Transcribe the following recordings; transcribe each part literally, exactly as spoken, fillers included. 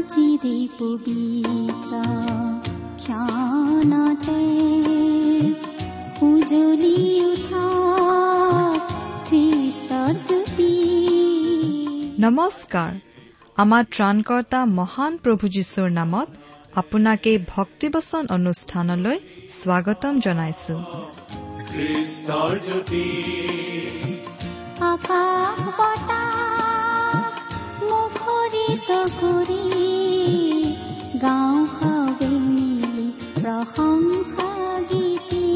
আজিৰে পবিত্ৰ ক্ষণতে উজ্বলি উঠা খ্ৰীষ্টৰ জ্যোতি। নমস্কাৰ। আমাৰ ত্ৰাণকৰ্তা মহান প্ৰভু যীশুৰ নামত আপোনাক এই ভক্তিবচন অনুষ্ঠানলৈ স্বাগতম জনাইছো। খ্ৰীষ্টৰ জ্যোতি আকাশ বতাহ মুখৰিত কৰি গাওঁ সবে মিলি প্ৰশংসা গীতি।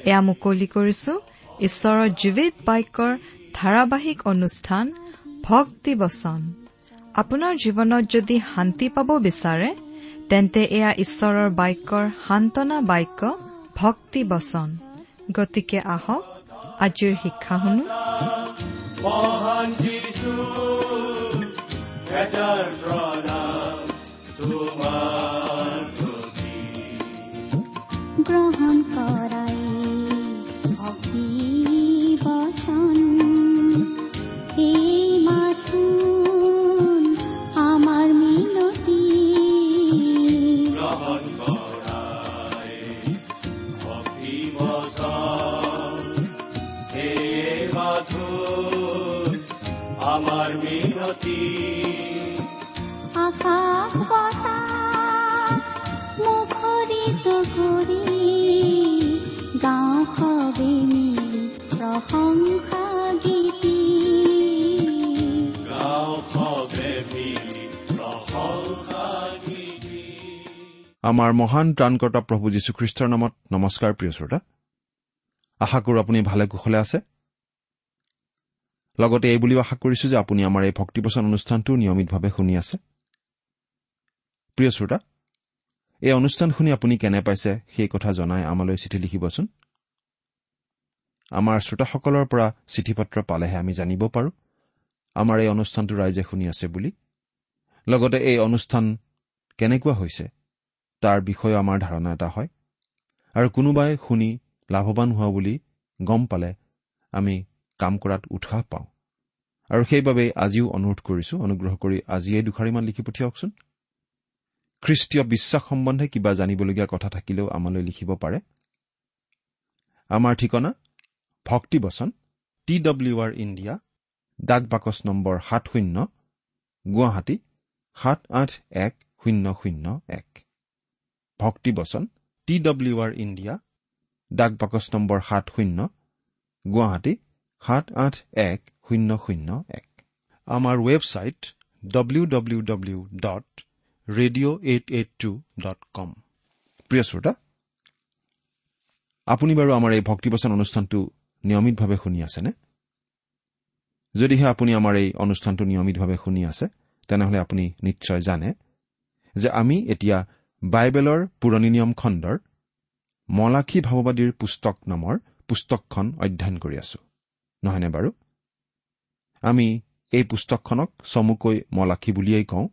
এয়া মুকলি কৰিছো ঈশ্বৰৰ জীৱিত বাক্যৰ ধাৰাবাহিক অনুষ্ঠান ভক্তিবচন। আপোনাৰ জীৱনত যদি শান্তি পাব বিচাৰে তেন্তে এয়া ঈশ্বৰৰ বাক্যৰ সান্তনা বাক্য ভক্তিবচন। গতিকে আহক আজিৰ শিক্ষা শুনো। মহান যীশু এটাৰ প্ৰণাম তোমাৰ প্ৰতি। গ্ৰহণ কৰাই ভক্তি বচন এই মাথোন আমাৰ মিনতি। গ্ৰহণ কৰাই ভক্তি বচন এই মাথোন আমাৰ মিনতি। আকাশ বতাহ মুখৰিত কৰি গাওঁ সবে মিলি প্ৰশংসা গীতি। গাওঁ সবে মিলি প্ৰশংসা গীতি। আমাৰ মহান ত্ৰাণকৰ্তা প্ৰভু যীশুখ্ৰীষ্টৰ নামত নমস্কাৰ প্ৰিয় শ্ৰোতা। আশা কৰোঁ আপুনি ভালে কুশলে আছে। লগতে এই বুলিও আশা কৰিছোঁ যে আপুনি আমাৰ এই ভক্তিবচন অনুষ্ঠানটো নিয়মিতভাৱে শুনি আছে। প্ৰিয় শ্ৰোতা, এই অনুষ্ঠান শুনি আপুনি কেনে পাইছে সেই কথা জনাই আমালৈ চিঠি লিখিবচোন। আমাৰ শ্ৰোতাসকলৰ পৰা চিঠি পত্ৰ পালেহে আমি জানিব পাৰোঁ আমাৰ এই অনুষ্ঠানটো ৰাইজে শুনি আছে বুলি। লগতে এই অনুষ্ঠান কেনেকুৱা হৈছে তাৰ বিষয়েও আমাৰ ধাৰণা এটা হয়, আৰু কোনোবাই শুনি লাভৱান হোৱা বুলি গম পালে আমি কাম কৰাত উৎসাহ পাওঁ। আৰু সেইবাবেই আজিও অনুৰোধ কৰিছোঁ, অনুগ্ৰহ কৰি আজিয়েই দুষাৰিমান লিখি পঠিয়াওকচোন। খ্ৰীষ্টীয় বিশ্বাস সম্বন্ধে কিবা জানিবলগীয়া কথা থাকিলেও আমালৈ লিখিব পাৰে। আমাৰ ঠিকনা ভক্তিবচন টি ডব্লিউ আৰ ইণ্ডিয়া, ডাক বাকচ নম্বৰ সাত শূন্য, গুৱাহাটী সাত আঠ এক শূন্য শূন্য এক। ভক্তিবচন টি ডব্লিউ আৰ ইণ্ডিয়া, ডাক বাকচ নম্বৰ সাত শূন্য, গুৱাহাটী সাত আঠ এক শূন্য শূন্য এক। আমাৰ website W W W dot radio eight eight two dot com. প্ৰিয় শ্ৰোতা, আপুনি বাৰু আমাৰ এই ভক্তিবচন অনুষ্ঠানটো নিয়মিতভাৱে শুনি আছেনে? যদিহে আপুনি আমাৰ এই অনুষ্ঠানটো নিয়মিতভাৱে শুনি আছে তেনেহ'লে আপুনি নিশ্চয় জানে যে আমি এতিয়া বাইবেলৰ পুৰণি নিয়ম খণ্ডৰ মলাখী ভাৱবাদীৰ পুস্তক নামৰ পুস্তকখন অধ্যয়ন কৰি আছো, নহয়নে বাৰু? আমি এই পুস্তকখনক চমুকৈ মলাখী বুলিয়েই কওঁ।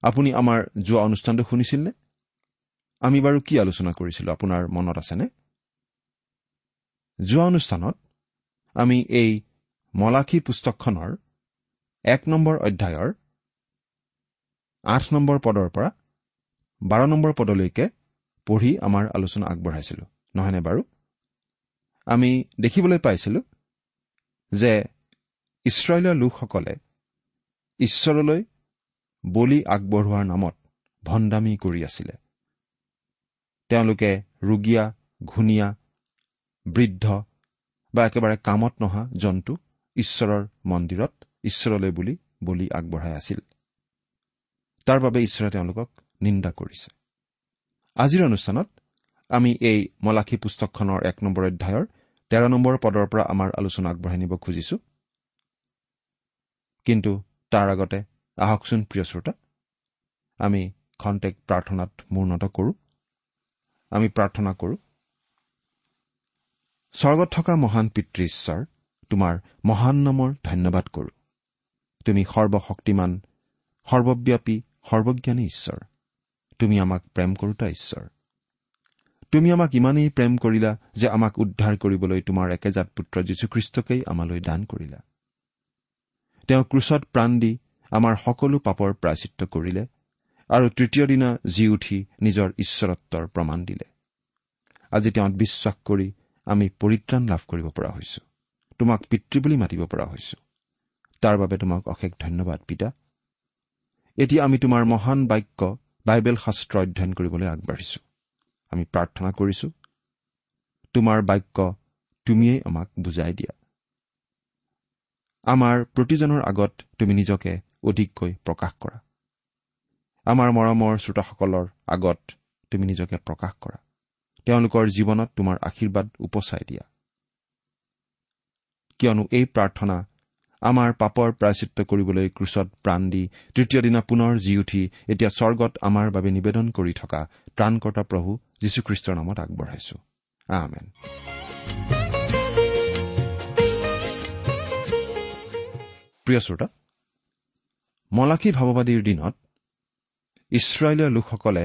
আপুনি আমাৰ যোৱা অনুষ্ঠানটো শুনিছিল নে? আমি বাৰু কি আলোচনা কৰিছিলো আপোনাৰ মনত আছেনে? যোৱা অনুষ্ঠানত আমি এই মলাখী পুস্তকখনৰ এক নম্বৰ অধ্যায়ৰ আঠ নম্বৰ পদৰ পৰা বাৰ নম্বৰ পদলৈকে পঢ়ি আমাৰ আলোচনা আগবঢ়াইছিলো, নহয়নে বাৰু? আমি দেখিবলৈ পাইছিলো যে ইছৰাইলৰ লোকসকলে ঈশ্বৰলৈ বলি আগবঢ়োৱাৰ নামত ভণ্ডামি কৰি আছিলে। তেওঁলোকে ৰুগীয়া, ঘূণীয়া, বৃদ্ধ বা একেবাৰে কামত নহা জন্তু ঈশ্বৰৰ মন্দিৰত ঈশ্বৰলৈ বুলি বলি আগবঢ়াই আছিল। তাৰ বাবে ঈশ্বৰে তেওঁলোকক নিন্দা কৰিছে। আজিৰ অনুষ্ঠানত আমি এই মলাখী পুস্তকখনৰ এক নম্বৰ অধ্যায়ৰ তেৰ নম্বৰ পদৰ পৰা আমাৰ আলোচনা আগবঢ়াই নিব খুজিছো। কিন্তু তাৰ আগতে আহকচোন প্ৰিয় শ্ৰোতা, আমি খন্তেক প্ৰাৰ্থনাত মূৰ্ণত কৰোঁ। আমি প্ৰাৰ্থনা কৰোঁ। স্বৰ্গত থকা মহান পিতৃ ঈশ্বৰ, তোমাৰ মহান নামৰ ধন্যবাদ কৰোঁ। তুমি সৰ্বশক্তিমান, সৰ্বব্যাপী, সৰ্বজ্ঞানী ঈশ্বৰ। তুমি আমাক প্ৰেম কৰোঁতা ঈশ্বৰ। তুমি আমাক ইমানেই প্ৰেম কৰিলা যে আমাক উদ্ধাৰ কৰিবলৈ তোমাৰ একেজাত পুত্ৰ যীশুখ্ৰীষ্টকেই আমালৈ দান কৰিলা। তেওঁ ক্ৰুচত প্ৰাণ দি আমাৰ সকলো পাপৰ প্ৰায়শ্চিত্ত কৰিলে আৰু তৃতীয় দিনা জি উঠি নিজৰ ঈশ্বৰত্বৰ প্ৰমাণ দিলে। আজি তেওঁত বিশ্বাস কৰি আমি পৰিত্ৰাণ লাভ কৰিব পৰা হৈছো, তোমাক পিতৃ বুলি মাতিব পৰা হৈছো। তাৰ বাবে তোমাক অশেষ ধন্যবাদ পিতা। এতিয়া আমি তোমাৰ মহান বাক্য বাইবেল শাস্ত্ৰ অধ্যয়ন কৰিবলৈ আগবাঢ়িছো। আমি প্ৰাৰ্থনা কৰিছো, তোমাৰ বাক্য তুমিয়েই আমাক বুজাই দিয়া। আমাৰ প্ৰতিজনৰ আগত তুমি নিজকে অধিককৈ প্ৰকাশ কৰা। আমাৰ মৰমৰ শ্ৰোতাসকলৰ আগত তুমি নিজকে প্ৰকাশ কৰা। তেওঁলোকৰ জীৱনত তোমাৰ আশীৰ্বাদ উপচাই দিয়া। কিয়নো এই প্ৰাৰ্থনা আমাৰ পাপৰ প্ৰায়শ্চিত্ত কৰিবলৈ ক্ৰুচত প্ৰাণ দি তৃতীয় দিনা পুনৰ জি উঠি এতিয়া স্বৰ্গত আমাৰ বাবে নিবেদন কৰি থকা ত্ৰাণকৰ্তা প্ৰভু যীশুখ্ৰীষ্টৰ নামত আগবঢ়াইছো, আমেন। প্ৰিয় শ্ৰোতা, মলাখী ভাৱবাদীৰ দিনত ইছৰাইলীয় লোকসকলে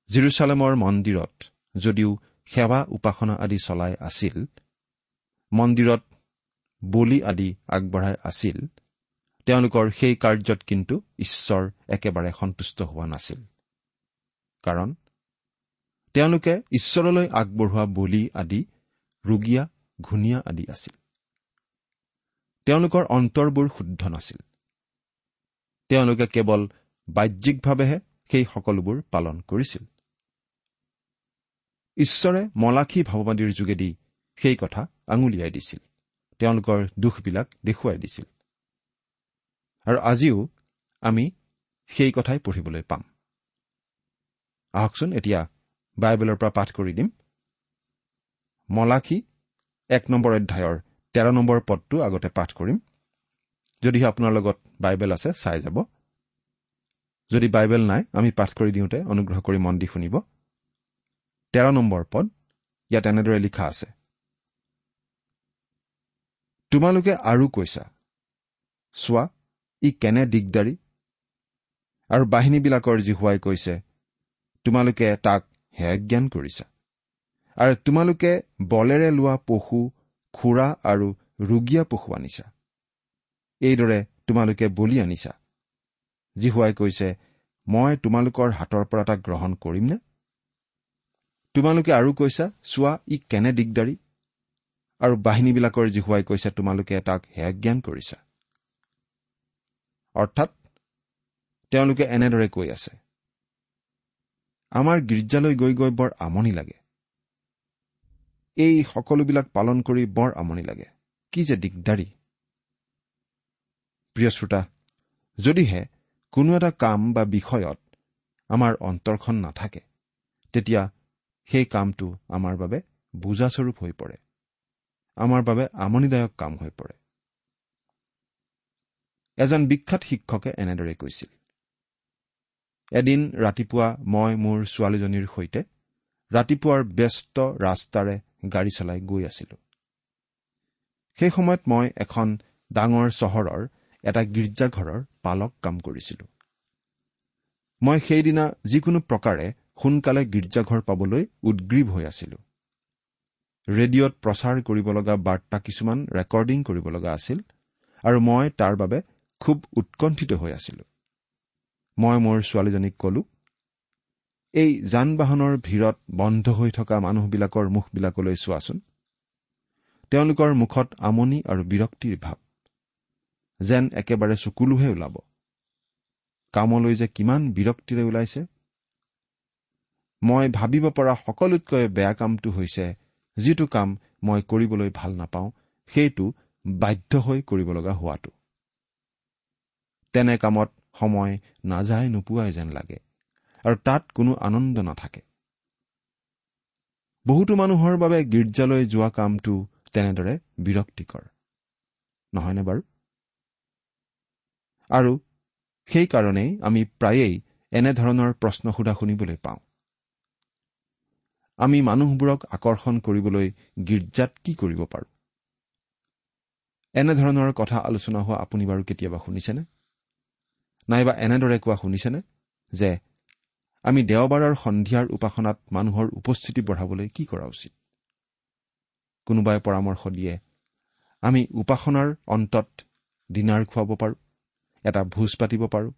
জিৰচালেমৰ মন্দিৰত যদিও সেৱা উপাসনা আদি চলাই আছিল, মন্দিৰত বলি আদি আগবঢ়াই আছিল, তেওঁলোকৰ সেই কাৰ্যত কিন্তু ঈশ্বৰ একেবাৰে সন্তুষ্ট হোৱা নাছিল। কাৰণ তেওঁলোকে ঈশ্বৰলৈ আগবঢ়োৱা বলি আদি ৰুগীয়া ঘূণীয়া আদি আছিল। তেওঁলোকৰ অন্তৰবোৰ শুদ্ধ নাছিল। তেওঁলোকে কেৱল বাহ্যিকভাৱেহে সেই সকলোবোৰ পালন কৰিছিল। ঈশ্বৰে মলাখী ভাৱবাদীৰ যোগেদি সেই কথা আঙুলিয়াই দিছিল, তেওঁলোকৰ দুখবিলাক দেখুৱাই দিছিল। আৰু আজিও আমি সেই কথাই পঢ়িবলৈ পাম। আহকচোন এতিয়া বাইবেলৰ পৰা পাঠ কৰি দিম। মলাখী এক নম্বৰ অধ্যায়ৰ তেৰ নম্বৰ পদটো আগতে পাঠ কৰিম। যদিহে আপোনাৰ লগত বাইবেল আছে চাই যাব, যদি বাইবেল নাই আমি পাঠ কৰি দিওঁতে অনুগ্ৰহ কৰি মন দি শুনিব। তেৰ নম্বৰ পদ ইয়াত এনেদৰে লিখা আছে, তোমালোকে আৰু কৈছা, চোৱা ই কেনে দিগদাৰী, আৰু বাহিনীবিলাকৰ যিহোৱাই কৈছে, তোমালোকে তাক হেয়জ্ঞান কৰিছা, আৰু তোমালোকে বলেৰে লোৱা পশু, খুৰা আৰু ৰুগীয়া পশু আনিছা, এইদৰে তোমালোকে বলি আনিছা। যিহোৱাই কৈছে, মই তোমালোকৰ হাতৰ পৰা তাক গ্ৰহণ কৰিমনে? তোমালোকে আৰু কৈছা, চোৱা ই কেনে দিগদাৰী, আৰু বাহিনীবিলাকৰ যিহোৱাই কৈছে, তোমালোকে তাক হেয়জ্ঞান কৰিছা। অৰ্থাৎ তেওঁলোকে এনেদৰে কৈ আছে, আমাৰ গীৰ্জালৈ গৈ গৈ বৰ আমনি লাগে, এই সকলোবিলাক পালন কৰি বৰ আমনি লাগে, কি যে দিগদাৰী। প্ৰিয় শ্ৰোতা, যদিহে কোনো এটা কাম বা বিষয়ত আমাৰ অন্তৰখন নাথাকে, তেতিয়া সেই কামটো আমাৰ বাবে বোজাস্বৰূপ হৈ পৰে, আমাৰ বাবে আমনিদায়ক কাম হৈ পৰে। এজন বিখ্যাত শিক্ষকে এনেদৰে কৈছিল, এদিন ৰাতিপুৱা মই মোৰ ছোৱালীজনীৰ সৈতে ৰাতিপুৱাৰ ব্যস্ত ৰাস্তাৰে গাড়ী চলাই গৈ আছিলো। সেই সময়ত মই এখন ডাঙৰ চহৰৰ এটা গীৰ্জাঘৰৰ পালক কাম কৰিছিলো। মই সেইদিনা যিকোনো প্ৰকাৰে সোনকালে গীৰ্জাঘৰ পাবলৈ উদ্গ্ৰীৱ হৈ আছিলো। ৰেডিঅ'ত প্ৰচাৰ কৰিব লগা বাৰ্তা কিছুমান ৰেকৰ্ডিং কৰিব লগা আছিল আৰু মই তাৰ বাবে খুব উৎকণ্ঠিত হৈ আছিলো। মই মোৰ ছোৱালীজনীক কলো, এই যান বাহনৰ ভিৰত বন্ধ হৈ থকা মানুহবিলাকৰ মুখবিলাকলৈ চোৱাচোন, তেওঁলোকৰ মুখত আমনি আৰু বিৰক্তিৰ ভাৱ, যেন একেবাৰে চকুলোহে ওলাব। কামলৈ যে কিমান বিৰক্তিৰে ওলাইছে। মই ভাবিব পৰা সকলোতকৈ বেয়া কামটো হৈছে যিটো কাম মই কৰিবলৈ ভাল নাপাওঁ, সেইটো বাধ্য হৈ কৰিব লগা হোৱাটো। তেনে কামত সময় নাযায় নোপোৱাই যেন লাগে আৰু তাত কোনো আনন্দ নাথাকে। বহুতো মানুহৰ বাবে গীৰ্জালৈ যোৱা কামটো তেনেদৰে বিৰক্তিকৰ নহয়নে বাৰু? আৰু সেইকাৰণেই আমি প্ৰায়েই এনেধৰণৰ প্ৰশ্ন সোধা শুনিবলৈ পাওঁ, আমি মানুহবোৰক আকৰ্ষণ কৰিবলৈ গীৰ্জাত কি কৰিব পাৰোঁ? এনেধৰণৰ কথা আলোচনা হোৱা আপুনি বাৰু কেতিয়াবা শুনিছেনে? নাইবা এনেদৰে কোৱা শুনিছেনে যে আমি দেওবাৰৰ সন্ধিয়াৰ উপাসনাত মানুহৰ উপস্থিতি বঢ়াবলৈ কি কৰা উচিত? কোনোবাই পৰামৰ্শ দিয়ে, আমি উপাসনাৰ অন্তত ডিনাৰ খুৱাব পাৰোঁ, এটা ভোজ পাতিব পাৰোঁ,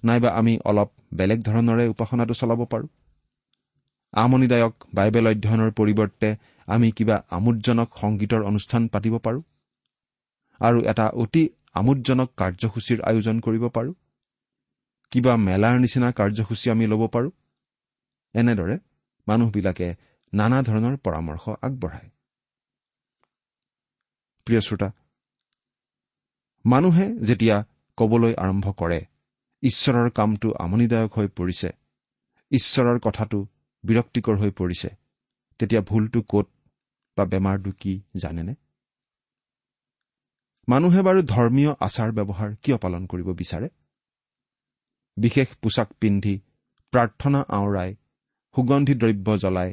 নাইবা আমি অলপ বেলেগ ধৰণেৰে উপাসনাটো চলাব পাৰোঁ। আমনিদায়ক বাইবেল অধ্যয়নৰ পৰিৱৰ্তে আমি কিবা আমোদজনক সংগীতৰ অনুষ্ঠান পাতিব পাৰোঁ আৰু এটা অতি আমোদজনক কাৰ্যসূচীৰ আয়োজন কৰিব পাৰোঁ। কিবা মেলাৰ নিচিনা কাৰ্যসূচী আমি ল'ব পাৰোঁ। এনেদৰে মানুহবিলাকে নানা ধৰণৰ পৰামৰ্শ আগবঢ়ায়। প্ৰিয় শ্ৰোতা, মানুহে যেতিয়া ক'বলৈ আৰম্ভ কৰে ঈশ্বৰৰ কামটো আমনিদায়ক হৈ পৰিছে, ঈশ্বৰৰ কথাটো বিৰক্তিকৰ হৈ পৰিছে, তেতিয়া ভুলটো ক'ত বা বেমাৰটো কি জানেনে? মানুহে বাৰু ধৰ্মীয় আচাৰ ব্যৱহাৰ কিয় পালন কৰিব বিচাৰে? বিশেষ পোছাক পিন্ধি, প্ৰাৰ্থনা আওৰাই, সুগন্ধি দ্ৰব্য জ্বলাই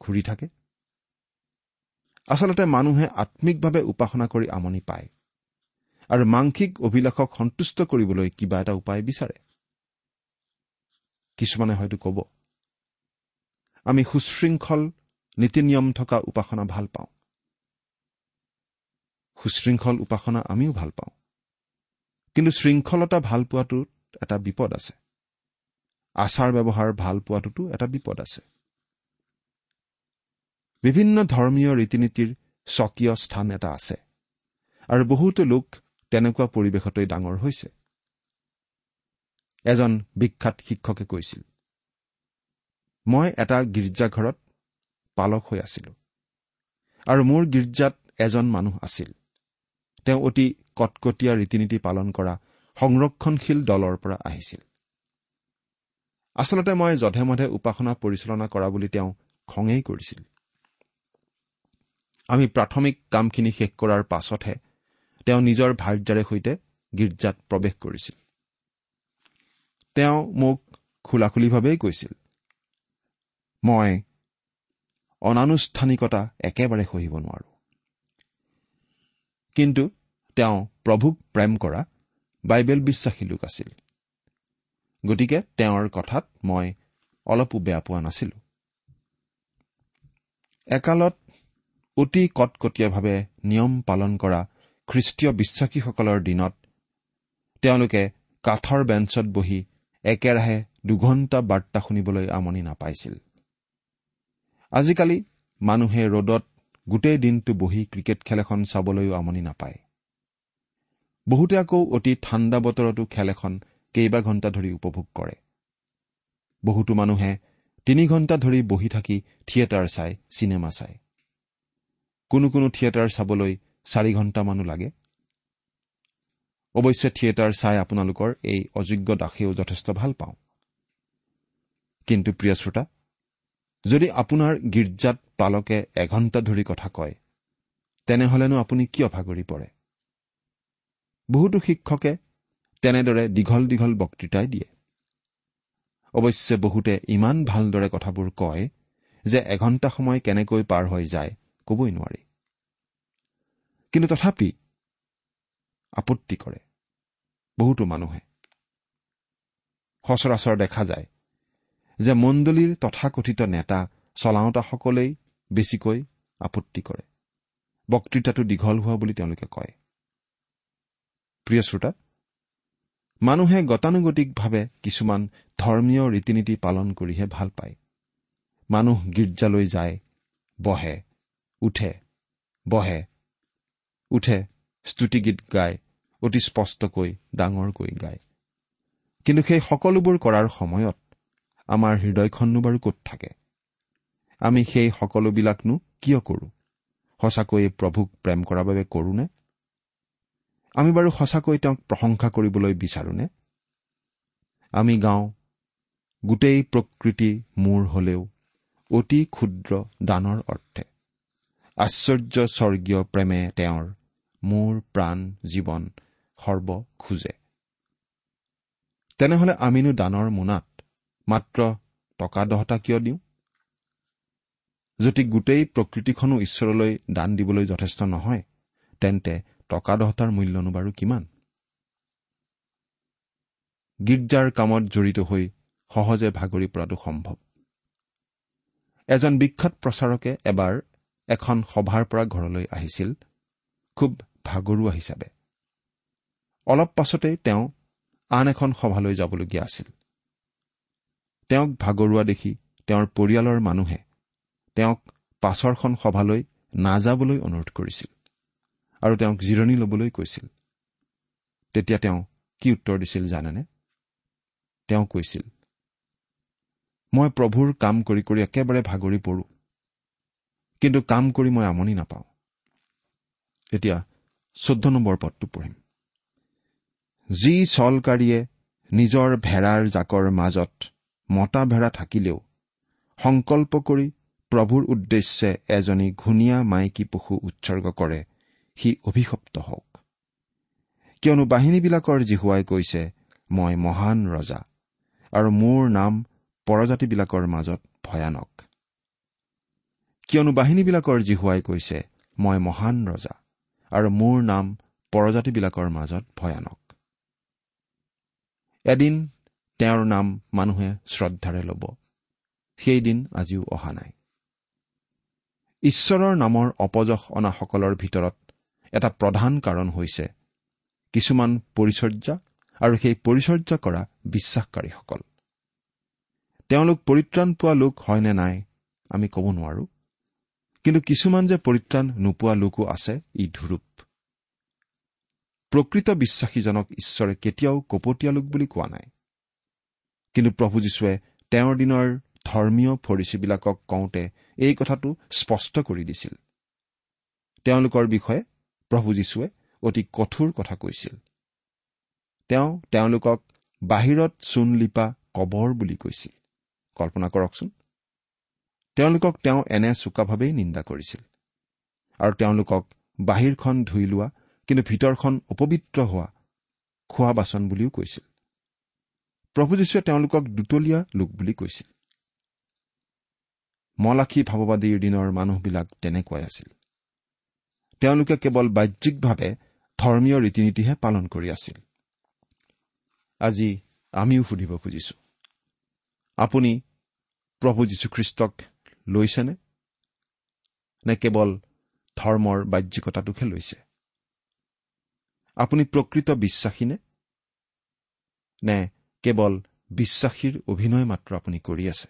ঘূৰি থাকে। আচলতে মানুহে আত্মিকভাৱে উপাসনা কৰি আমনি পায় আৰু মাংসিক অভিলাষক সন্তুষ্ট কৰিবলৈ কিবা এটা উপায় বিচাৰে। কিছুমানে হয়তো ক'ব, আমি সুশৃংখল নীতি নিয়ম থকা উপাসনা ভাল পাওঁ। সুশৃংখল উপাসনা আমিও ভাল পাওঁ, কিন্তু শৃংখলতা ভাল পোৱাটোত এটা বিপদ আছে। আচাৰ ব্যৱহাৰ ভাল পোৱাটোতো এটা বিপদ আছে। বিভিন্ন ধৰ্মীয় ৰীতি নীতিৰ স্বকীয় স্থান এটা আছে আৰু বহুতো লোক তেনেকুৱা পৰিৱেশতেই ডাঙৰ হৈছে। এজন বিখ্যাত শিক্ষকে কৈছিল, মই এটা গীৰ্জাঘৰত পালক হৈ আছিলো আৰু মোৰ গীৰ্জাত এজন মানুহ আছিল। তেওঁ অতি কটকটীয়া ৰীতি নীতি পালন কৰা সংৰক্ষণশীল দলৰ পৰা আহিছিল। আচলতে মই যধে মধে উপাসনা পৰিচালনা কৰা বুলি তেওঁ খঙেই কৰিছিল। আমি প্ৰাথমিক কামখিনি শেষ কৰাৰ পাছতহে তেওঁ নিজৰ ভাৰ্যাৰে সৈতে গীৰ্জাত প্ৰৱেশ কৰিছিল। তেওঁ মোক খোলাখুলিভাৱেই কৈছিল, মই অনানুষ্ঠানিকতা একেবাৰে সহিব নোৱাৰো। কিন্তু তেওঁ প্ৰভুক প্ৰেম কৰা বাইবেল বিশ্বাসী লোক আছিল, গতিকে তেওঁৰ কথাত মই অলপো বেয়া পোৱা নাছিলো। একালত অতি কটকটীয়াভাৱে নিয়ম পালন কৰা খ্ৰীষ্টীয় বিশ্বাসীসকলৰ দিনত তেওঁলোকে কাঠৰ বেঞ্চত বহি একেৰাহে দুঘণ্টা বাৰ্তা শুনিবলৈ আমনি নাপাইছিল। আজিকালি মানুহে ৰ'দত গোটেই দিনটো বহি ক্ৰিকেট খেল এখন চাবলৈও আমনি নাপায়। বহুতে আকৌ অতি ঠাণ্ডা বতৰতো খেল এখন কেইবা ঘণ্টা ধৰি উপভোগ কৰে। বহুতো মানুহে তিনি ঘণ্টা ধৰি বহি থাকি থিয়েটাৰ চায়, চিনেমা চায়। কোনো কোনো থিয়েটাৰ চাবলৈ চাৰি ঘণ্টামানো লাগে। অৱশ্যে থিয়েটাৰ চাই আপোনালোকৰ এই অযোগ্য দাসেও যথেষ্ট ভাল পাওঁ। কিন্তু প্ৰিয় শ্ৰোতা, যদি আপোনাৰ গীৰ্জাত পালকে এঘণ্টা ধৰি কথা কয়, তেনেহ'লেনো আপুনি কিয় ভাগৰি পৰে? বহুতো শিক্ষকে তেনেদৰে দীঘল দীঘল বক্তৃতাই দিয়ে। অৱশ্যে বহুতে ইমান ভালদৰে কথাবোৰ কয় যে এঘণ্টা সময় কেনেকৈ পাৰ হৈ যায় ক'বই নোৱাৰি, কিন্তু তথাপি আপত্তি কৰে বহুতো মানুহে। সচৰাচৰ দেখা যায় যে মণ্ডলীৰ তথাকথিত নেতা চলাওঁতাসকলেই বেছিকৈ আপত্তি কৰে, বক্তৃতাটো দীঘল হোৱা বুলি তেওঁলোকে কয়। প্ৰিয় শ্ৰোতা, মানুহে গতানুগতিকভাৱে কিছুমান ধৰ্মীয় ৰীতি নীতি পালন কৰিহে ভাল পায়। মানুহ গীৰ্জালৈ যায়, বহে, উঠে, বহে, উঠে, স্তুতিগীত গায়, অতি স্পষ্টকৈ ডাঙৰকৈ গায়। কিন্তু সেই সকলোবোৰ কৰাৰ সময়ত আমাৰ হৃদয়খননো বাৰু ক'ত থাকে? আমি সেই সকলোবিলাকনো কিয় কৰোঁ? সঁচাকৈয়ে প্ৰভুক প্ৰেম কৰাৰ বাবে কৰোঁনে? আমি বাৰু সঁচাকৈ তেওঁক প্ৰশংসা কৰিবলৈ বিচাৰোঁনে? আমি গাওঁ, গোটেই প্ৰকৃতি মোৰ হলেও অতি ক্ষুদ্ৰ দানৰ অৰ্থে আশ্চৰ্য স্বৰ্গীয় প্ৰেমে তেওঁৰ মোৰ প্ৰাণ জীৱন সৰ্ব খোজে। তেনেহলে আমিনো দানৰ মোনাত মাত্ৰ টকা দহটা কিয় দিওঁ? যদি গোটেই প্ৰকৃতিখনো ঈশ্বৰলৈ দান দিবলৈ যথেষ্ট নহয়, তেন্তে টকা দহটাৰ মূল্যনো বাৰু কিমান? গীৰ্জাৰ কামত জড়িত হৈ সহজে ভাগৰি পৰাটো সম্ভৱ। এজন বিখ্যাত প্ৰচাৰকে এবাৰ এখন সভাৰ পৰা ঘৰলৈ আহিছিল, খুব ভাগৰুৱা হিচাপে। অলপ পাছতেই তেওঁ আন এখন সভালৈ যাবলগীয়া আছিল। তেওঁক ভাগৰুৱা দেখি তেওঁৰ পৰিয়ালৰ মানুহে তেওঁক পাছৰখন সভালৈ নাযাবলৈ অনুৰোধ কৰিছিল আৰু তেওঁক জিৰণি ল'বলৈ কৈছিল। তেতিয়া তেওঁ কি উত্তৰ দিছিল জানেনে? তেওঁ কৈছিল, মই প্ৰভুৰ কাম কৰি কৰি একেবাৰে ভাগৰি পৰো, কিন্তু কাম কৰি মই আমনি নাপাওঁ। এতিয়া চৈধ্য নম্বৰ পদটো পঢ়িম। যি চলকাৰীয়ে নিজৰ ভেড়াৰ জাকৰ মাজত মতা ভেড়া থাকিলেও সংকল্প কৰি প্ৰভুৰ উদ্দেশ্যে এজনী ঘূণীয়া মাইকী পশু উৎসৰ্গ কৰে, সি অভিশপ্ত হওক। কিয়নো বাহিনীবিলাকৰ যিহোৱাই কৈছে, মই মহান ৰজা আৰু মোৰ নাম পৰজাতিবিলাকৰ মাজত ভয়ানক। কিয়নো বাহিনীবিলাকৰ যিহোৱাই কৈছে, মই মহান ৰজা আৰু মোৰ নাম পৰজাতিবিলাকৰ মাজত ভয়ানক। এদিন তেওঁৰ নাম মানুহে শ্ৰদ্ধাৰে ল'ব, সেইদিন আজিও অহা নাই। ঈশ্বৰৰ নামৰ অপযশ অনাসকলৰ ভিতৰত এটা প্ৰধান কাৰণ হৈছে কিছুমান পৰিচৰ্যা আৰু সেই পৰিচৰ্যা কৰা বিশ্বাসকাৰীসকল। তেওঁলোক পৰিত্ৰাণ পোৱা লোক হয় নে নাই আমি ক'ব নোৱাৰো, কিন্তু কিছুমান যে পৰিত্ৰাণ নোপোৱা লোকো আছে ই ধুৰূপ। প্ৰকৃত বিশ্বাসীজনক ঈশ্বৰে কেতিয়াও কপটীয়া লোক বুলি কোৱা নাই, কিন্তু প্ৰভু যীশুৱে তেওঁৰ দিনৰ ধৰ্মীয় ফৰিচীবিলাকক কওঁতে এই কথাটো স্পষ্ট কৰি দিছিল। তেওঁলোকৰ বিষয়ে প্ৰভু যীশুৱে অতি কঠোৰ কথা কৈছিল। তেওঁ তেওঁলোকক বাহিৰত চূণ লিপা কবৰ বুলি কৈছিল। কল্পনা কৰকচোন, তেওঁলোকক তেওঁ এনে চোকাভাৱেই নিন্দা কৰিছিল আৰু তেওঁলোকক বাহিৰখন ধুই লোৱা কিন্তু ভিতৰখন অপবিত্ৰ হোৱা খোৱা বাচন বুলিও কৈছিল। প্ৰভু যীশুৱে তেওঁলোকক দুতলীয়া লোক বুলি কৈছিল। মলাখী ভাৱবাদীৰ দিনৰ মানুহবিলাক তেনেকুৱাই আছিল। তেওঁলোকে কেৱল বাহ্যিকভাৱে ধৰ্মীয় ৰীতি নীতিহে পালন কৰি আছিল। আজি আমিও সুধিব খুজিছো, আপুনি প্ৰভু যীশুখ্ৰীষ্টক লৈছেনে নে কেৱল ধৰ্মৰ বাহ্যিকতাটোকহে লৈছে? আপুনি প্ৰকৃত বিশ্বাসীনে নে কেৱল বিশ্বাসীৰ অভিনয় মাত্ৰ আপুনি কৰি আছে?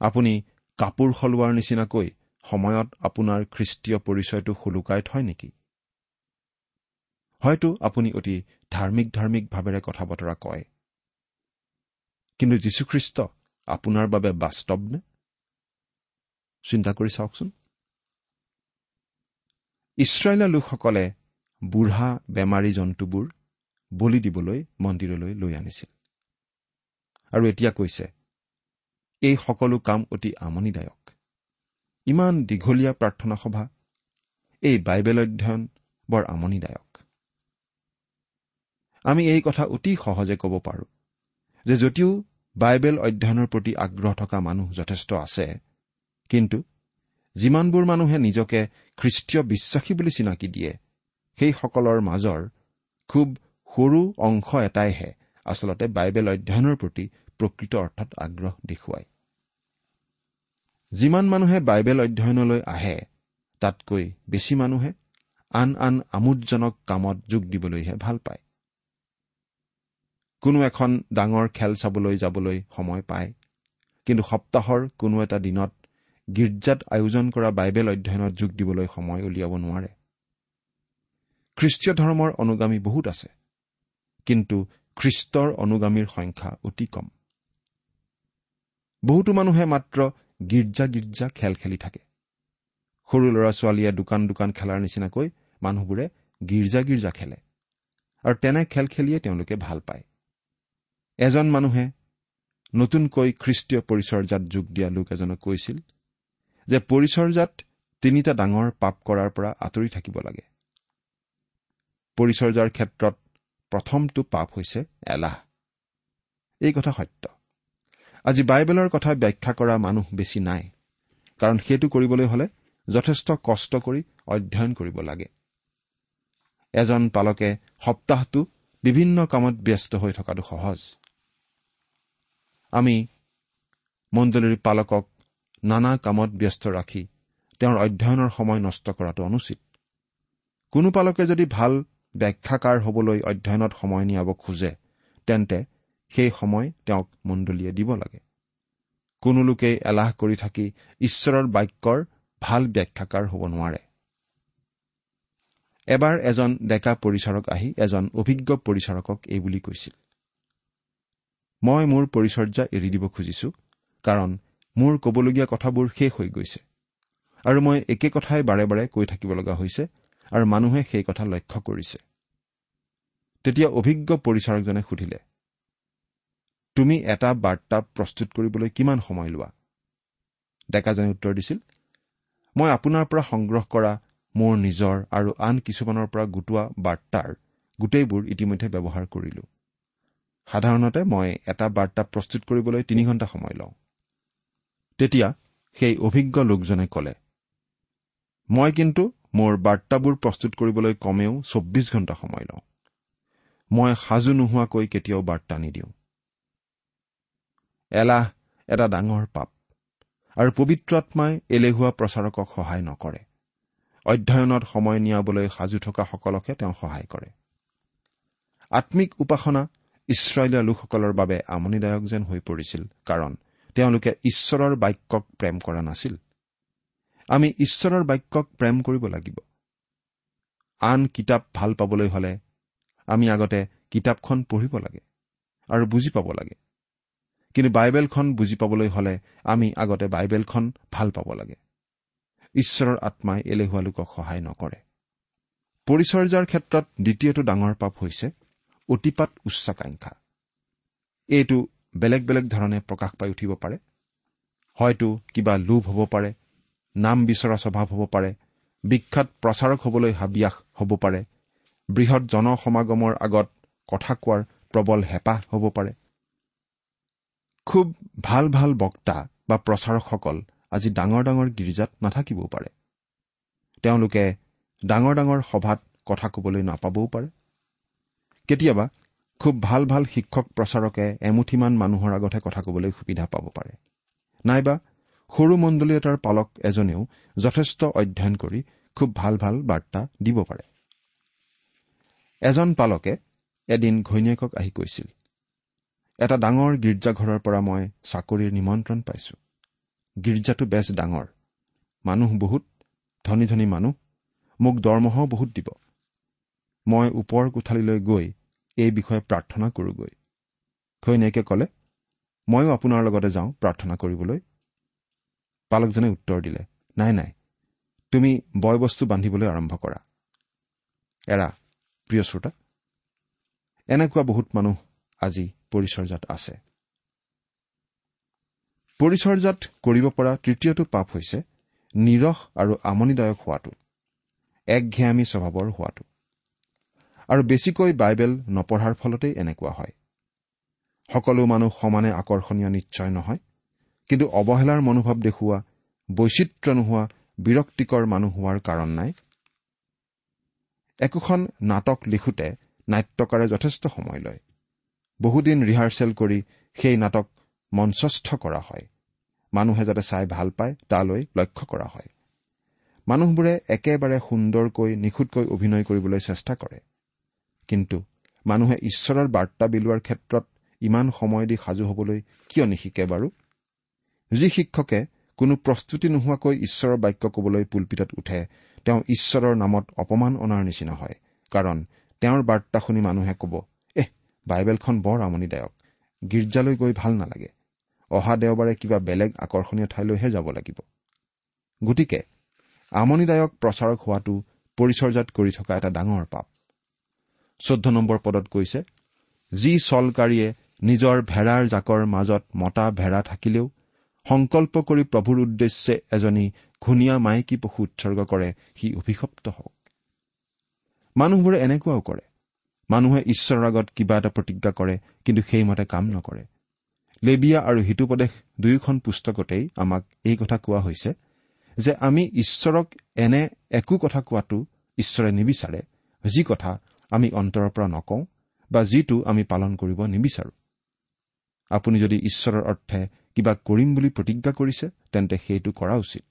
আপুনি কাপোৰ সলোৱাৰ নিচিনাকৈ সময়ত আপোনাৰ খ্ৰীষ্টীয় পৰিচয়টো সোলোকাই থয় নেকি? হয়তো আপুনি অতি ধাৰ্মিক ধাৰ্মিক ভাৱেৰে কথা বতৰা কয়, কিন্তু যীশুখ্ৰীষ্ট আপোনাৰ বাবে বাস্তৱ নে? চিন্তা কৰি চাওকচোন। ইছৰাইলৰ লোকসকলে বুঢ়া বেমাৰী জন্তুবোৰ বলি দিবলৈ মন্দিৰলৈ লৈ আনিছিল আৰু এতিয়া কৈছে, এই সকলো কাম অতি আমনিদায়ক। ইমান দীঘলীয়া প্ৰাৰ্থনা সভা, এই বাইবেল অধ্যয়ন বৰ আমনিদায়ক। আমি এই কথা অতি সহজে ক'ব পাৰোঁ যে যদিও বাইবেল অধ্যয়নৰ প্ৰতি আগ্ৰহ থকা মানুহ যথেষ্ট আছে, কিন্তু যিমানবোৰ মানুহে নিজকে খ্ৰীষ্টীয় বিশ্বাসী বুলি চিনাকি দিয়ে, সেইসকলৰ মাজৰ খুব সৰু অংশ এটাইহে আচলতে বাইবেল অধ্যয়নৰ প্ৰতি প্ৰকৃত অৰ্থত আগ্ৰহ দেখুৱায়। যিমান মানুহে বাইবেল অধ্যয়নলৈ আহে, তাতকৈ বেছি মানুহে আন আন আমোদজনক কামত যোগ দিবলৈহে ভাল পায়। কোনো এখন ডাঙৰ খেল চাবলৈ যাবলৈ সময় পায়, কিন্তু সপ্তাহৰ কোনো এটা দিনত গীৰ্জাত আয়োজন কৰা বাইবেল অধ্যয়নত যোগ দিবলৈ সময় উলিয়াব নোৱাৰে। খ্ৰীষ্টীয় ধৰ্মৰ অনুগামী বহুত আছে, কিন্তু খ্ৰীষ্টৰ অনুগামীৰ সংখ্যা অতি কম। বহুতো মানুহে মাত্ৰ গীৰ্জা গীৰ্জা খেল খেলি থাকে। সৰু ল'ৰা ছোৱালীয়ে দোকান দোকান খেলাৰ নিচিনাকৈ মানুহবোৰে গীৰ্জা গীৰ্জা খেলে আৰু তেনে খেল খেলিয়ে তেওঁলোকে ভাল পায়। এজন মানুহে নতুনকৈ খ্ৰীষ্টীয় পৰিচৰ্যাত যোগ দিয়া লোক এজনক কৈছিল যে পৰিচৰ্যাত তিনিটা ডাঙৰ পাপ কৰাৰ পৰা আঁতৰি থাকিব লাগে। পৰিচৰ্যাৰ ক্ষেত্ৰত প্ৰথমটো পাপ হৈছে এলাহ। এই কথা সত্য। আজি বাইবেলৰ কথা ব্যাখ্যা কৰা মানুহ বেছি নাই, কাৰণ সেইটো কৰিবলৈ হলে যথেষ্ট কষ্ট কৰি অধ্যয়ন কৰিব লাগে। এজন পালকে সপ্তাহটো বিভিন্ন কামত ব্যস্ত হৈ থকাটো সহজ। আমি মণ্ডলীৰ পালকক নানা কামত ব্যস্ত ৰাখি তেওঁৰ অধ্যয়নৰ সময় নষ্ট কৰাটো অনুচিত। কোনো পালকে যদি ভাল ব্যাখ্যাকাৰ হ'বলৈ অধ্যয়নত সময় নিয়াব খোজে, তেন্তে সেই সময় তেওঁক মণ্ডলীয়ে দিব লাগে। কোনো লোকেই এলাহ কৰি থাকি ঈশ্বৰৰ বাক্যৰ ভাল ব্যাখ্যাকাৰ হ'ব নোৱাৰে। এবাৰ এজন ডেকা পৰিচাৰক আহি এজন অভিজ্ঞ পৰিচাৰকক এই বুলি কৈছিল, মই মোৰ পৰিচৰ্যা এৰি দিব খুজিছো, কাৰণ মোৰ ক'বলগীয়া কথাবোৰ শেষ হৈ গৈছে আৰু মই একে কথাই বাৰে বাৰে কৈ থাকিব লগা হৈছে আৰু মানুহে সেই কথা লক্ষ্য কৰিছে। তেতিয়া অভিজ্ঞ পৰিচাৰকজনে সুধিলে, তুমি এটা বাৰ্তা প্ৰস্তুত কৰিবলৈ কিমান সময় লোৱা? ডেকাজনে উত্তৰ দিছিল, মই আপোনাৰ পৰা সংগ্ৰহ কৰা মোৰ নিজৰ আৰু আন কিছুমানৰ পৰা গোটোৱা বাৰ্তাৰ গোটেইবোৰ ইতিমধ্যে ব্যৱহাৰ কৰিলো। সাধাৰণতে মই এটা বাৰ্তা প্ৰস্তুত কৰিবলৈ তিনি ঘণ্টা সময় লওঁ। তেতিয়া সেই অভিজ্ঞ লোকজনে ক'লে, মই কিন্তু মোৰ বাৰ্তাবোৰ প্ৰস্তুত কৰিবলৈ কমেও চৌব্বিছ ঘণ্টা সময় লওঁ। মই সাজু নোহোৱাকৈ কেতিয়াও বাৰ্তা নিদিওঁ। এলাহ এটা ডাঙৰ পাপ আৰু পবিত্ৰ আত্মাই এলেহুৱা প্ৰচাৰকক সহায় নকৰে। অধ্যয়নত সময় নিয়াবলৈ সাজু থকাসকলকহে তেওঁ সহায় কৰে। আত্মিক উপাসনা ইছৰাইলীয়া লোকসকলৰ বাবে আমনিদায়ক যেন হৈ পৰিছিল, কাৰণ তেওঁলোকে ঈশ্বৰৰ বাক্যক প্ৰেম কৰা নাছিল। আমি ঈশ্বৰৰ বাক্যক প্ৰেম কৰিব লাগিব। আন কিতাপ ভাল পাবলৈ হলে আমি আগতে কিতাপখন পঢ়িব লাগে আৰু বুজি পাব লাগে, কিন্তু বাইবেলখন বুজি পাবলৈ হলে আমি আগতে বাইবেলখন ভাল পাব লাগে। ঈশ্বৰৰ আত্মাই এলেহুৱা লোকক সহায় নকৰে। পৰিচৰ্যাৰ ক্ষেত্ৰত দ্বিতীয়টো ডাঙৰ পাপ হৈছে অতিপাত উচ্চাকাংক্ষা। এইটো বেলেগ বেলেগ ধৰণে প্ৰকাশ পাই উঠিব পাৰে। হয়তো কিবা লোভ হ'ব পাৰে, নাম বিচৰা স্বভাৱ হ'ব পাৰে, বিখ্যাত প্ৰচাৰক হ'বলৈ হাবিয়াস হ'ব পাৰে, বৃহৎ জনসমাগমৰ আগত কথা কোৱাৰ প্ৰবল হেঁপাহ হ'ব পাৰে। খুব ভাল ভাল বক্তা বা প্ৰচাৰকসকল আজি ডাঙৰ ডাঙৰ গীৰ্জাত নাথাকিবও পাৰে, তেওঁলোকে ডাঙৰ ডাঙৰ সভাত কথা ক'বলৈ নাপাবও পাৰে। কেতিয়াবা খুব ভাল ভাল শিক্ষক প্ৰচাৰকে এমুঠিমান মানুহৰ আগতহে কথা ক'বলৈ সুবিধা পাব পাৰে, নাইবা সৰু মণ্ডলী এটাৰ পালক এজনেও যথেষ্ট অধ্যয়ন কৰি খুব ভাল ভাল বাৰ্তা দিব পাৰে। এজন পালকে এদিন ঘৈণীয়েকক আহি কৈছিল, এটা ডাঙৰ গীৰ্জাঘৰৰ পৰা মই চাকৰিৰ নিমন্ত্ৰণ পাইছো। গীৰ্জাটো বেছ ডাঙৰ, মানুহ বহুত, ধনী ধনী মানুহ, মোক দৰমহাও বহুত দিব। মই ওপৰ কোঠালিলৈ গৈ এই বিষয়ে প্ৰাৰ্থনা কৰোগৈ। ঘৈণীয়েকে ক'লে, ময়ো আপোনাৰ লগতে যাওঁ প্ৰাৰ্থনা কৰিবলৈ। পালকজনে উত্তৰ দিলে, নাই নাই, তুমি বয় বস্তু বান্ধিবলৈ আৰম্ভ কৰা। এৰা প্ৰিয় শ্ৰোতা, এনেকুৱা বহুত মানুহ আজি পৰিচৰ্যাত আছে। পৰিচৰ্যাত কৰিব পৰা তৃতীয়টো পাপ হৈছে নিৰস আৰু আমনিদায়ক হোৱাটো, একঘেয়ামী স্বভাৱৰ হোৱাটো। আৰু বেছিকৈ বাইবেল নপঢ়াৰ ফলতেই এনেকুৱা হয়। সকলো মানুহ সমানে আকৰ্ষণীয় নিশ্চয় নহয়, কিন্তু অৱহেলাৰ মনোভাৱ দেখুওৱা, বৈচিত্ৰ্য নোহোৱা, বিৰক্তিকৰ মানুহ হোৱাৰ কাৰণ নাই। একোখন নাটক লিখোঁতে নাট্যকাৰে যথেষ্ট সময় লয়। বহুদিন ৰিহাৰ্চেল কৰি সেই নাটক মঞ্চস্থ কৰা হয়। মানুহে যাতে চাই ভাল পায় তালৈ লক্ষ্য কৰা হয়। মানুহবোৰে একেবাৰে সুন্দৰকৈ নিখুঁতকৈ অভিনয় কৰিবলৈ চেষ্টা কৰে, কিন্তু মানুহে ঈশ্বৰৰ বাৰ্তা বিলোৱাৰ ক্ষেত্ৰত ইমান সময় দি সাজু হ'বলৈ কিয় নিশিকে বাৰু? যি শিক্ষকে কোনো প্ৰস্তুতি নোহোৱাকৈ ঈশ্বৰৰ বাক্য ক'বলৈ পুলপিতত উঠে, তেওঁ ঈশ্বৰৰ নামত অপমান অনাৰ নিচিনা হয়, কাৰণ তেওঁৰ বাৰ্তা শুনি মানুহে ক'ব, এহ, বাইবেলখন বৰ আমনিদায়ক, গীৰ্জালৈ গৈ ভাল নালাগে, অহা দেওবাৰে কিবা বেলেগ আকৰ্ষণীয় ঠাইলৈহে যাব লাগিব। গতিকে আমনিদায়ক প্ৰচাৰক হোৱাটো পৰিচৰ্যাত কৰি থকা এটা ডাঙৰ পাপ। চৈধ্য নম্বৰ পদত কৈছে, যি চলকাৰীয়ে নিজৰ ভেড়াৰ জাকৰ মাজত মতা ভেড়া থাকিলেও সংকল্প কৰি প্ৰভুৰ উদ্দেশ্যে এজনী ঘূণীয়া মাইকী পশু উৎসৰ্গ কৰে, সি অভিশপ্ত হওক। মানুহবোৰে এনেকুৱাও কৰে। মানুহে ঈশ্বৰৰ আগত কিবা এটা প্ৰতিজ্ঞা কৰে, কিন্তু সেইমতে কাম নকৰে। লেবিয়া আৰু হিতোপদেশ দুয়োখন পুস্তকতেই আমাক এই কথা কোৱা হৈছে যে আমি ঈশ্বৰক এনে একো কথা কোৱাটো ঈশ্বৰে নিবিচাৰে, যি কথা আমি অন্তৰৰ পৰা নকওঁ বা যিটো আমি পালন কৰিব নিবিচাৰো। আপুনি যদি ঈশ্বৰৰ অৰ্থে কিবা কৰিম বুলি প্ৰতিজ্ঞা কৰিছে, তেন্তে সেইটো কৰা উচিত,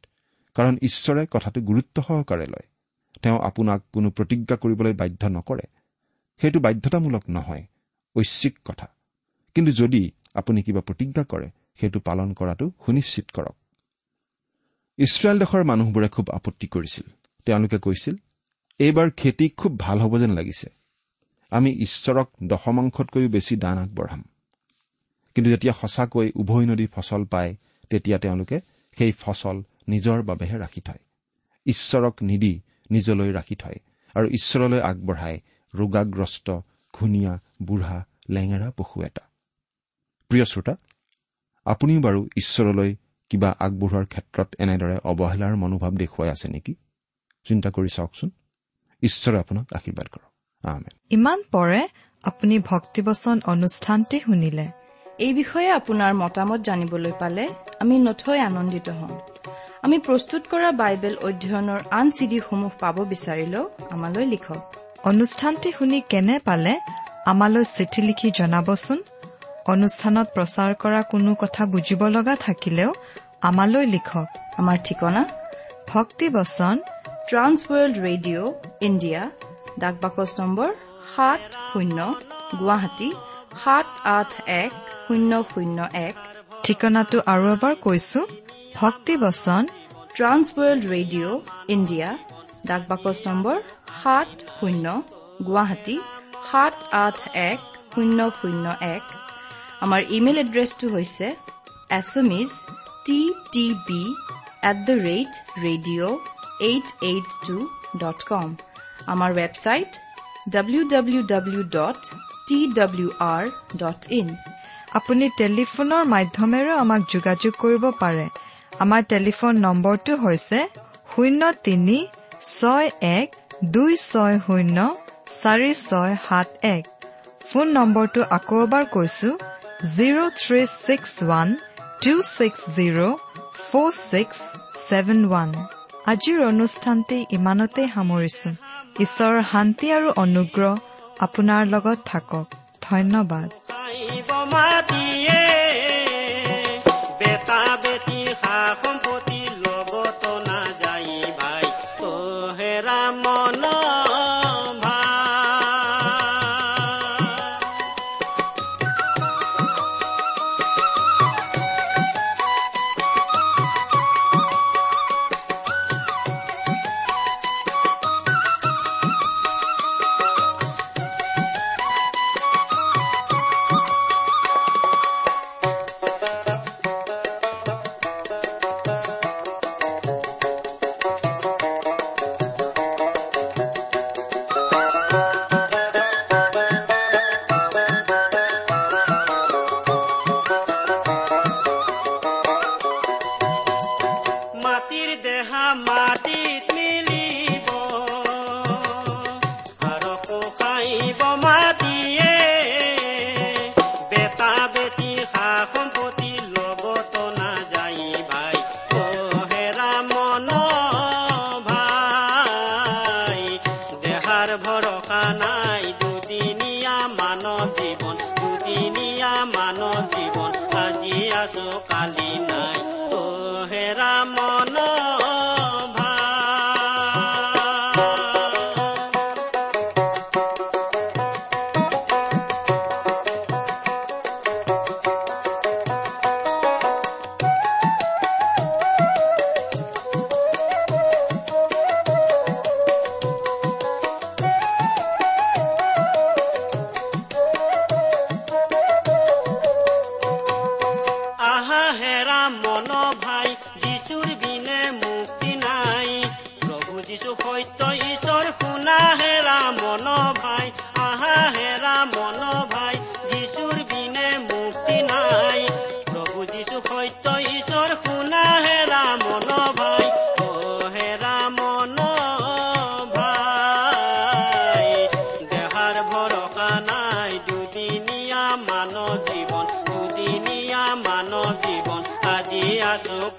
কাৰণ ঈশ্বৰে কথাটো গুৰুত্ব সহকাৰে লয়। তেওঁ আপোনাক কোনো প্ৰতিজ্ঞা কৰিবলৈ বাধ্য নকৰে। সেইটো বাধ্যতামূলক নহয়, ঐচ্ছিক কথা। কিন্তু যদি আপুনি কিবা প্ৰতিজ্ঞা কৰে, সেইটো পালন কৰাটো সুনিশ্চিত কৰক। ইছৰাইল দেশৰ মানুহবোৰে খুব আপত্তি কৰিছিল। তেওঁলোকে কৈছিল, এইবাৰ খেতি খুব ভাল হ'ব যেন লাগিছে, আমি ঈশ্বৰক দশমাংশতকৈও বেছি দান আগবঢ়াম। কিন্তু যেতিয়া সঁচাকৈ উভয় নদী ফচল পায়, তেতিয়া তেওঁলোকে সেই ফচল নিজৰ বাবেহে ৰাখি থয়, ঈশ্বৰক নিদি নিজলৈ ৰাখি থয় আৰু ঈশ্বৰলৈ আগবঢ়ায় ৰোগাগ্ৰস্ত, ঘূণীয়া, বুঢ়া, লেঙেৰা পশু এটা। প্ৰিয় শ্ৰোতা, আপুনিও বাৰু ঈশ্বৰলৈ কিবা আগবঢ়োৱাৰ ক্ষেত্ৰত এনেদৰে অৱহেলাৰ মনোভাৱ দেখুৱাই আছে নেকি? চিন্তা কৰি চাওকচোন। ঈশ্বৰে আপোনাক আশীৰ্বাদ কৰক। আমেন। ইমান পৰে আপুনি ভক্তিবচন অনুষ্ঠানটি শুনিলে। এই বিষয়ে আপোনাৰ মতামত জানিবলৈ পালে আমি নথৈ আনন্দিত হ'ম। আমি প্ৰস্তুত কৰা বাইবেল অধ্যয়নৰ আন চিডিসমূহ পাব বিচাৰিলেও আমালৈ লিখক। অনুষ্ঠানটি শুনি কেনে পালে আমালৈ চিঠি লিখি জনাবচোন। অনুষ্ঠানত প্ৰচাৰ কৰা কোনো কথা বুজিব লগা থাকিলেও আমালৈ লিখক। আমাৰ ঠিকনা ভক্তিবচন ট্ৰান্সৱৰ্ল্ড ৰেডিঅ' ইণ্ডিয়া, ডাক বাকচ নম্বৰ সাত শূন্য, গুৱাহাটী সাত আঠ এক শূন্য শূন্য এক। ঠিকনাটো আৰু এবাৰ কৈছো, ভক্তিবচন ট্ৰান্সৱৰ্ল্ড ৰেডিঅ' ইণ্ডিয়া, ডাক বাকচ নম্বৰ সাত শূন্য, গুৱাহাটী সাত আঠ এক শূন্য শূন্য এক। আমাৰ ইমেইল এড্ৰেছটো হৈছে Assamese T T B at the rate radio eight eight two dot com. আমাৰ website W W W dot T W R dot in. আপুনি টেলিফোনৰ মাধ্যমেৰেও আমাক যোগাযোগ কৰিব পাৰে। আমাৰ টেলিফোন নম্বৰটো হৈছে শূন্য তিনি ছয় এক দুই ছয় শূন্য চাৰি ছয় সাত এক। ফোন নম্বৰটো আকৌ এবাৰ কৈছো, zero three six one two six zero four six seven one. আজিৰ অনুষ্ঠানটি ইমানতে সামৰিছো। ঈশ্বৰৰ শান্তি আৰু অনুগ্ৰহ আপোনাৰ লগত থাকক। ধন্যবাদ।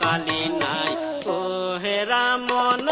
কালি নাই, অ' হেৰা মন।